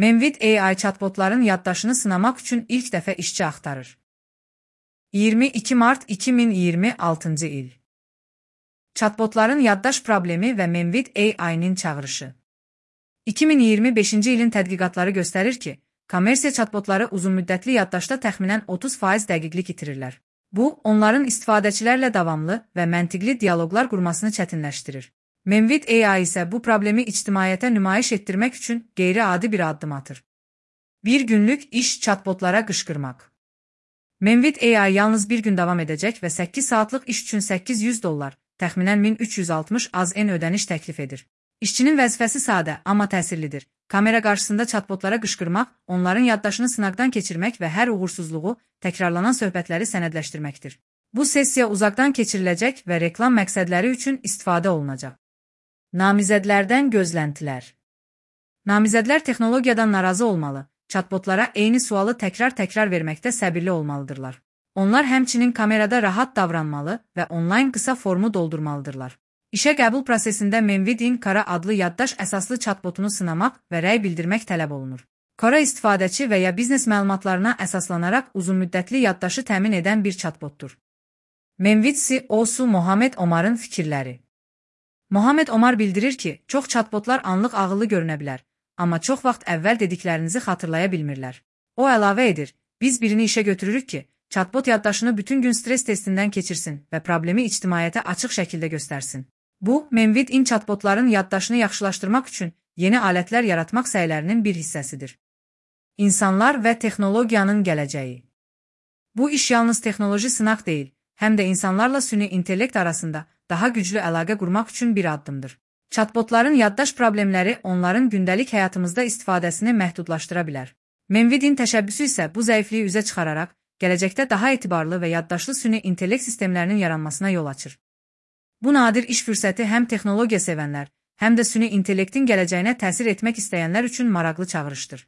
Memvid AI chatbotların yaddaşını sınamaq üçün ilk dəfə işçi axtarır. 22 mart 2026-cı il. Chatbotların yaddaş problemi və Memvid AI-nin çağırışı. 2025-ci ilin tədqiqatları göstərir ki, kommersiya chatbotları uzunmüddətli yaddaşda təxminən 30% dəqiqlik itirirlər. Bu, onların istifadəçilərlə davamlı və məntiqli dialoqlar qurmasını çətinləşdirir. Memvid AI isə bu problemi ictimaiyyətə nümayiş etdirmək üçün qeyri-adi bir addım atır. Bir günlük iş chatbotlara qışqırmaq. Memvid AI yalnız bir gün davam edəcək və 8 saatlıq iş üçün $800, təxminən 1360 AZN ödəniş təklif edir. İşçinin vəzifəsi sadə, amma təsirlidir. Kamera qarşısında chatbotlara qışqırmaq, onların yaddaşını sınaqdan keçirmək və hər uğursuzluğu, təkrarlanan söhbətləri sənədləşdirməkdir. Bu sessiya uzaqdan keçiriləcək və reklam məqsədləri üçün istifadə olunacaq. Namizədlərdən gözləntilər. Namizədlər texnologiyadan narazı olmalı, chatbotlara eyni sualı təkrar verməkdə səbirli olmalıdırlar. Onlar həmçinin kamerada rahat davranmalı və onlayn qısa formu doldurmalıdırlar. İşə qəbul prosesində Memvidin Kara adlı yaddaş əsaslı chatbotunu sınamaq və rəy bildirmək tələb olunur. Kara istifadəçi və ya biznes məlumatlarına əsaslanaraq uzunmüddətli yaddaşı təmin edən bir chatbotdur. Memvid CEO-su Mohamed Omarın fikirləri. Mohamed Omar bildirir ki, çox chatbotlar anlıq ağıllı görünə bilər, amma çox vaxt əvvəl dediklərinizi xatırlaya bilmirlər. O əlavə edir, biz birini işə götürürük ki, chatbot yaddaşını bütün gün stres testindən keçirsin və problemi ictimaiyyətə açıq şəkildə göstərsin. Bu, Memvid chatbotların yaddaşını yaxşılaşdırmaq üçün yeni alətlər yaratmaq səylərinin bir hissəsidir. İnsanlar və texnologiyanın gələcəyi. Bu iş yalnız texnoloji sınaq deyil, həm də insanlarla süni intellekt arasında daha güclü əlaqə qurmaq üçün bir addımdır. Chatbotların yaddaş problemləri onların gündəlik həyatımızda istifadəsini məhdudlaşdıra bilər. Memvidin təşəbbüsü isə bu zəifliyi üzə çıxararaq, gələcəkdə daha etibarlı və yaddaşlı süni intellekt sistemlərinin yaranmasına yol açır. Bu nadir iş fürsəti həm texnologiya sevənlər, həm də süni intellektin gələcəyinə təsir etmək istəyənlər üçün maraqlı çağırışdır.